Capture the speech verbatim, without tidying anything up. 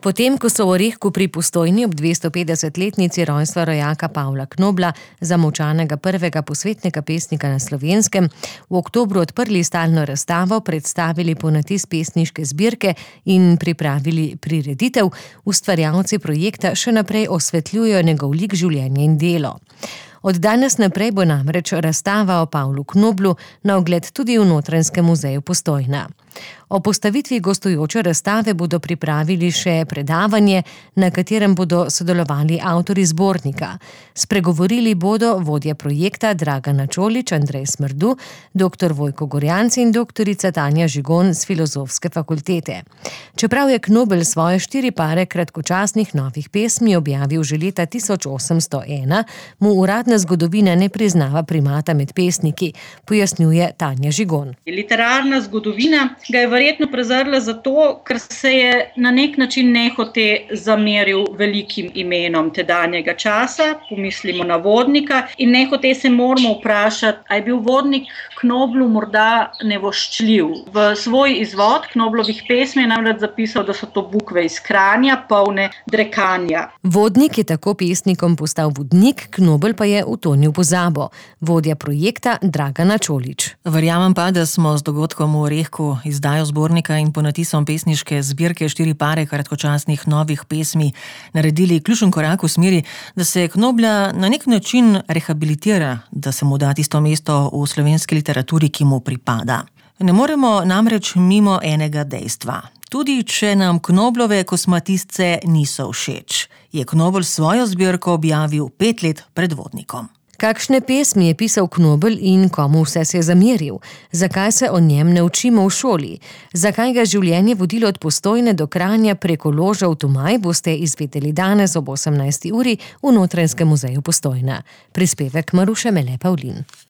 Potem, ko so v Orehku pri Postojni ob dvestopetdesetletnici rojstva rojaka Pavla Knobla, zamolčanega prvega posvetnega pesnika na Slovenskem, v oktobru odprli stalno razstavo, predstavili ponatis pesniške zbirke in pripravili prireditev, ustvarjalci projekta še naprej osvetljujejo njegov lik, življenje in delo. Od danes naprej bo namreč razstava o Pavlu Knoblu na ogled tudi v Notranjskem muzeju Postojna. O postavitvi gostujoče razstave bodo pripravili še predavanje, na katerem bodo sodelovali avtorji zbornika. Spregovorili bodo vodja projekta Dragana Čolić, Andrej Smrdu, doktor Vojko Gorjanc in doktorica Tanja Žigon z Filozofske fakultete. Čeprav je Knobel svoje štiri pare kratkočasnih novih pesmi objavil že leta tisoč osemsto ena, mu uradna zgodovina ne priznava primata med pesniki, pojasnjuje Tanja Žigon. Literarna zgodovina ga je verjetno prezrla zato, ker se je na nek način nehote zameril velikim imenom tedanjega časa, pomislimo na Vodnika, in nehote se moramo vprašati, a je bil Vodnik Knoblu morda nevoščljiv. V svoj izvod Knoblovih pesmi je namreč zapisal, da so to bukve iz Kranja, polne drekanja. Vodnik je tako pesnikom postal vodnik, Knobel pa je utonil v pozabo. Vodja projekta Dragana Čolić. Verjamem pa, da smo z dogodkom v Orehku, izdajo zbornika in ponatisom pesniške zbirke štiri pare kratkočasnih novih pesmi naredili ključen korak v smeri, da se Knobla na nek način rehabilitira, da se mu da tisto mesto v slovenski literaturi, ki mu pripada. Ne moremo namreč mimo enega dejstva. Tudi če nam Knoblove kosmatisce niso všeč, je Knobel svojo zbirko objavil pet let pred Vodnikom. Kakšne pesmi je pisal Knobel in komu vse se je zameril? Zakaj se o njem ne učimo v šoli? Zakaj ga življenje vodilo od Postojne do Kranja preko Loža v Tomaj, boste izvedeli danes ob osemnajsti uri v Notranjskem muzeju Postojna. Prispevek Maruše Mele Pavlin.